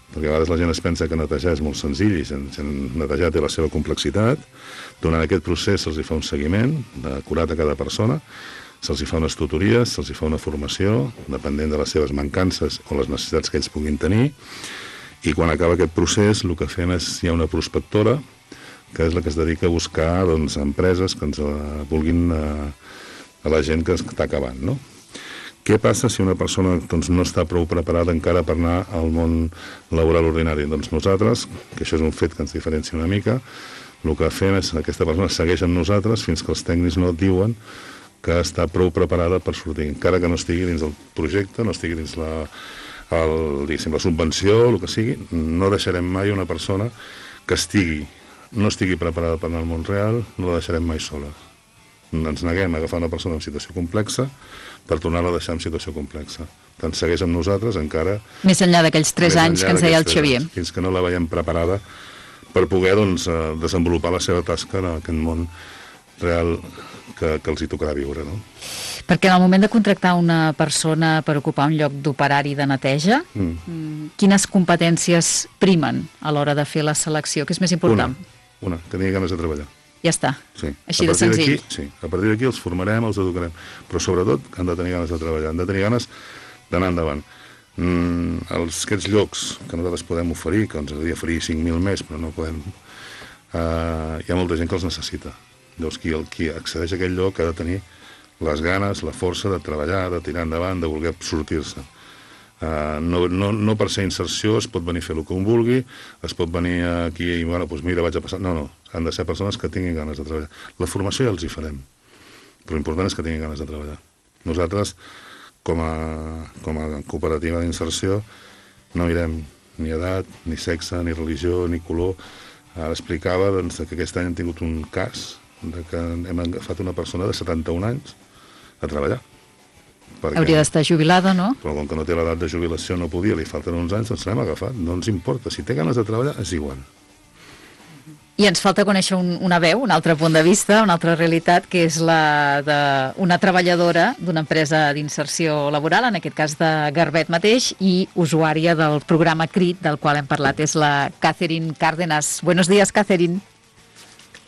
perquè a vegades la gent es pensa que netejar és molt senzill i sen, sen netejar té la seva complexitat. Durant aquest procés se'ls fa un seguiment acurat a cada persona, se'ls fa unes tutories, se'ls fa una formació, depenent de les seves mancances o les necessitats que ells puguin tenir, i quan acaba aquest procés el que fem és, hi ha una prospectora, que és la que es dedica a buscar doncs, empreses que ens uh, vulguin uh, a la gent que està acabant, no? Què passa si una persona doncs, no està prou preparada encara per anar al món laboral ordinari? Doncs nosaltres, que això és un fet que ens diferencia una mica, el que fem és que aquesta persona segueix amb nosaltres fins que els tècnics no diuen que està prou preparada per sortir, encara que no estigui dins del projecte, no estigui dins la, el, diguéssim, la subvenció, el que sigui, no deixarem mai una persona que estigui, no estigui preparada per anar al món real, no la deixarem mai sola. Ens neguem a agafar una persona en situació complexa per tornar-la a deixar en situació complexa. Tant segueix amb nosaltres encara... Més enllà d'aquells tres anys que ens deia el Xavier. Anys, fins que no la veiem preparada per poder doncs, desenvolupar la seva tasca en aquest món real que, que els hi tocarà viure, no? Perquè en el moment de contractar una persona per ocupar un lloc d'operari de neteja, mm. quines competències primen a l'hora de fer la selecció? Què és més important? Una, una que tingui ganes de treballar. Ja està, sí. Així de senzill. Sí, a partir d'aquí els formarem, els educarem, però sobretot han de tenir ganes de treballar, han de tenir ganes d'anar endavant. Mm, els, aquests llocs que nosaltres podem oferir, que ens agradaria oferir cinc mil més, però no podem, eh, hi ha molta gent que els necessita. Llavors, qui, el, qui accedeix a aquell lloc ha de tenir les ganes, la força de treballar, de tirar endavant, de voler sortir-se. Uh, no, no, no per ser inserció es pot venir a fer el que un vulgui, es pot venir aquí i, bueno, doncs mira, vaig a passar... No, no, han de ser persones que tinguin ganes de treballar. La formació ja els hi farem, però l'important és que tinguin ganes de treballar. Nosaltres, com a, com a cooperativa d'inserció, no mirem ni edat, ni sexe, ni religió, ni color. Ara explicava doncs, que aquest any hem tingut un cas de que hem agafat una persona de setanta-un anys a treballar. Perquè, hauria d'estar jubilada, no? Però com que no té l'edat de jubilació, no podia, li falten uns anys, doncs l'hem agafat. No ens importa. Si té ganes de treballar, és igual. I ens falta conèixer un, una veu, un altre punt de vista, una altra realitat, que és la d'una treballadora d'una empresa d'inserció laboral, en aquest cas de Garbet mateix, i usuària del programa CRIT, del qual hem parlat, és la Catherine Cárdenas. Buenos días, Catherine.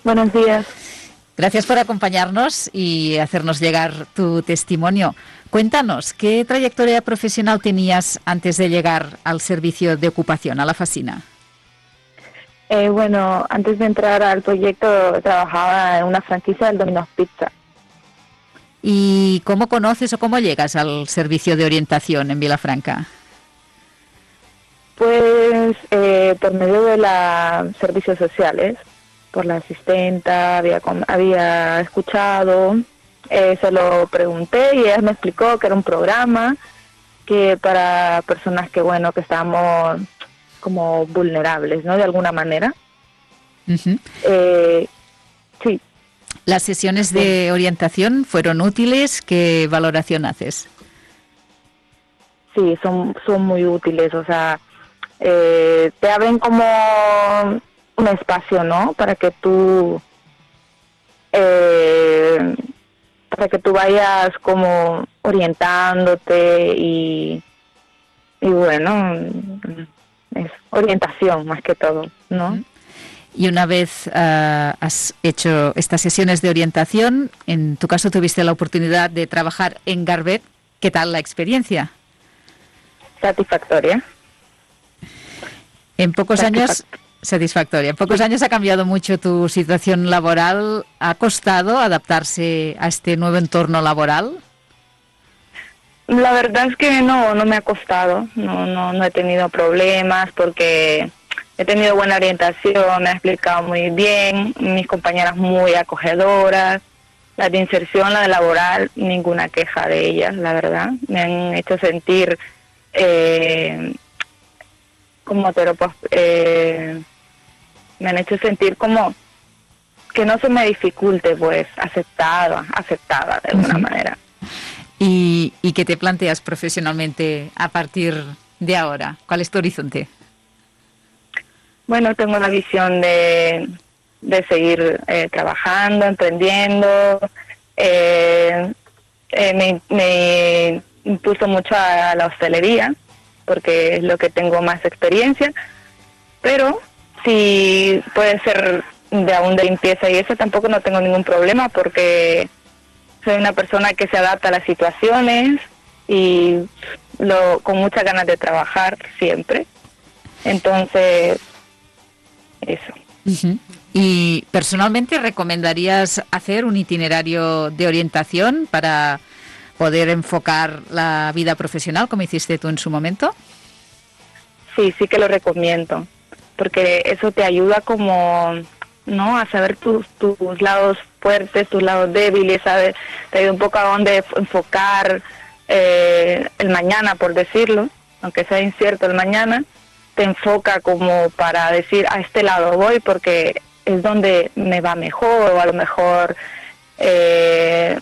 Buenos días. Gracias por acompañarnos y hacernos llegar tu testimonio. Cuéntanos, ¿qué trayectoria profesional tenías antes de llegar al servicio de ocupación, a la Facina? Eh, bueno, antes de entrar al proyecto trabajaba en una franquicia del Domino's Pizza. ¿Y cómo conoces o cómo llegas al servicio de orientación en Vilafranca? Pues eh, por medio de los servicios sociales, por la asistenta, había, había escuchado, eh, se lo pregunté y ella me explicó que era un programa que para personas que, bueno, que estamos como vulnerables, ¿no? De alguna manera. Uh-huh. eh, sí. ¿Las sesiones de orientación fueron útiles? ¿Qué valoración haces? Sí, son, son muy útiles, o sea, eh, te abren como un espacio, ¿no? Para que tú eh, para que tú vayas como orientándote y y bueno, es orientación más que todo, ¿no? Y una vez uh, has hecho estas sesiones de orientación, en tu caso tuviste la oportunidad de trabajar en Garbet. ¿Qué tal la experiencia? Satisfactoria. En pocos años... Satisfactoria. En pocos años ha cambiado mucho tu situación laboral. ¿Ha costado adaptarse a este nuevo entorno laboral? La verdad es que no, no me ha costado. No, no, no he tenido problemas porque he tenido buena orientación, me ha explicado muy bien, mis compañeras muy acogedoras. La de inserción, la de laboral, ninguna queja de ellas, la verdad. Me han hecho sentir... Eh, como te lo puedo, eh, me han hecho sentir como que no se me dificulte, pues, aceptada, aceptada de alguna uh-huh. manera. ¿Y, ¿Y qué te planteas profesionalmente a partir de ahora? ¿Cuál es tu horizonte? Bueno, tengo la visión de, de seguir eh, trabajando, emprendiendo. Eh, eh, me, me impulso mucho a la hostelería, porque es lo que tengo más experiencia, pero si puede ser de aún de limpieza y eso tampoco no tengo ningún problema, porque soy una persona que se adapta a las situaciones y lo, con muchas ganas de trabajar siempre. Entonces, eso. Uh-huh. ¿Y personalmente recomendarías hacer un itinerario de orientación para poder enfocar la vida profesional como hiciste tú en su momento? Sí, sí que lo recomiendo, porque eso te ayuda como, ¿no?, a saber tus, tus lados fuertes, tus lados débiles, ¿sabes? Te ayuda un poco a dónde enfocar eh, el mañana, por decirlo, aunque sea incierto el mañana, te enfoca como para decir, a este lado voy porque es donde me va mejor, o a lo mejor eh,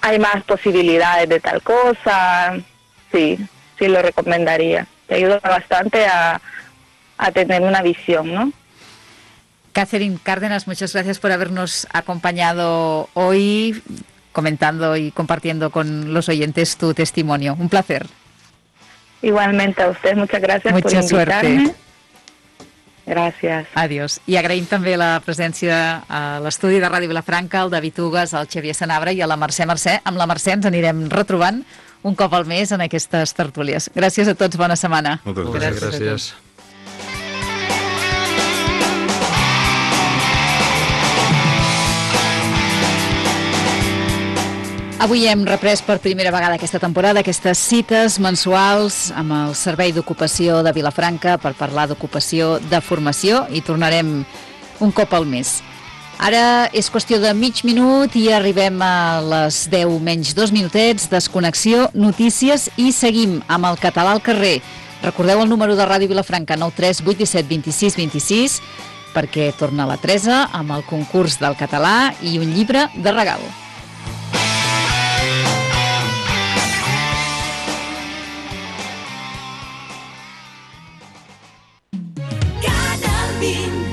hay más posibilidades de tal cosa. Sí, sí lo recomendaría. Te ayuda bastante a, a tener una visión, ¿no? Catherine Cárdenas, muchas gracias por habernos acompañado hoy, comentando y compartiendo con los oyentes tu testimonio. Un placer. Igualmente a usted, muchas gracias Mucha por invitarme. Suerte. Gràcies. Adiós. I agraïm també la presència a l'estudi de Ràdio Vilafranca, al David Ugas, al Xavier Sanabra i a la Mercè Mercè. Amb la Mercè ens anirem retrobant un cop al mes en aquestes tertúlies. Gràcies a tots, bona setmana. Moltes gràcies. gràcies. gràcies. Avui hem reprès per primera vegada aquesta temporada aquestes cites mensuals amb el Servei d'Ocupació de Vilafranca per parlar d'ocupació, de formació, i tornarem un cop al mes. Ara és qüestió de mig minut i arribem a les deu menys dos minutets, desconnexió, notícies, i seguim amb el català al carrer. Recordeu el número de Ràdio Vilafranca, nou tres vuit set dos sis dos sis, perquè torna la Teresa amb el concurs del català i un llibre de regal. Canal vint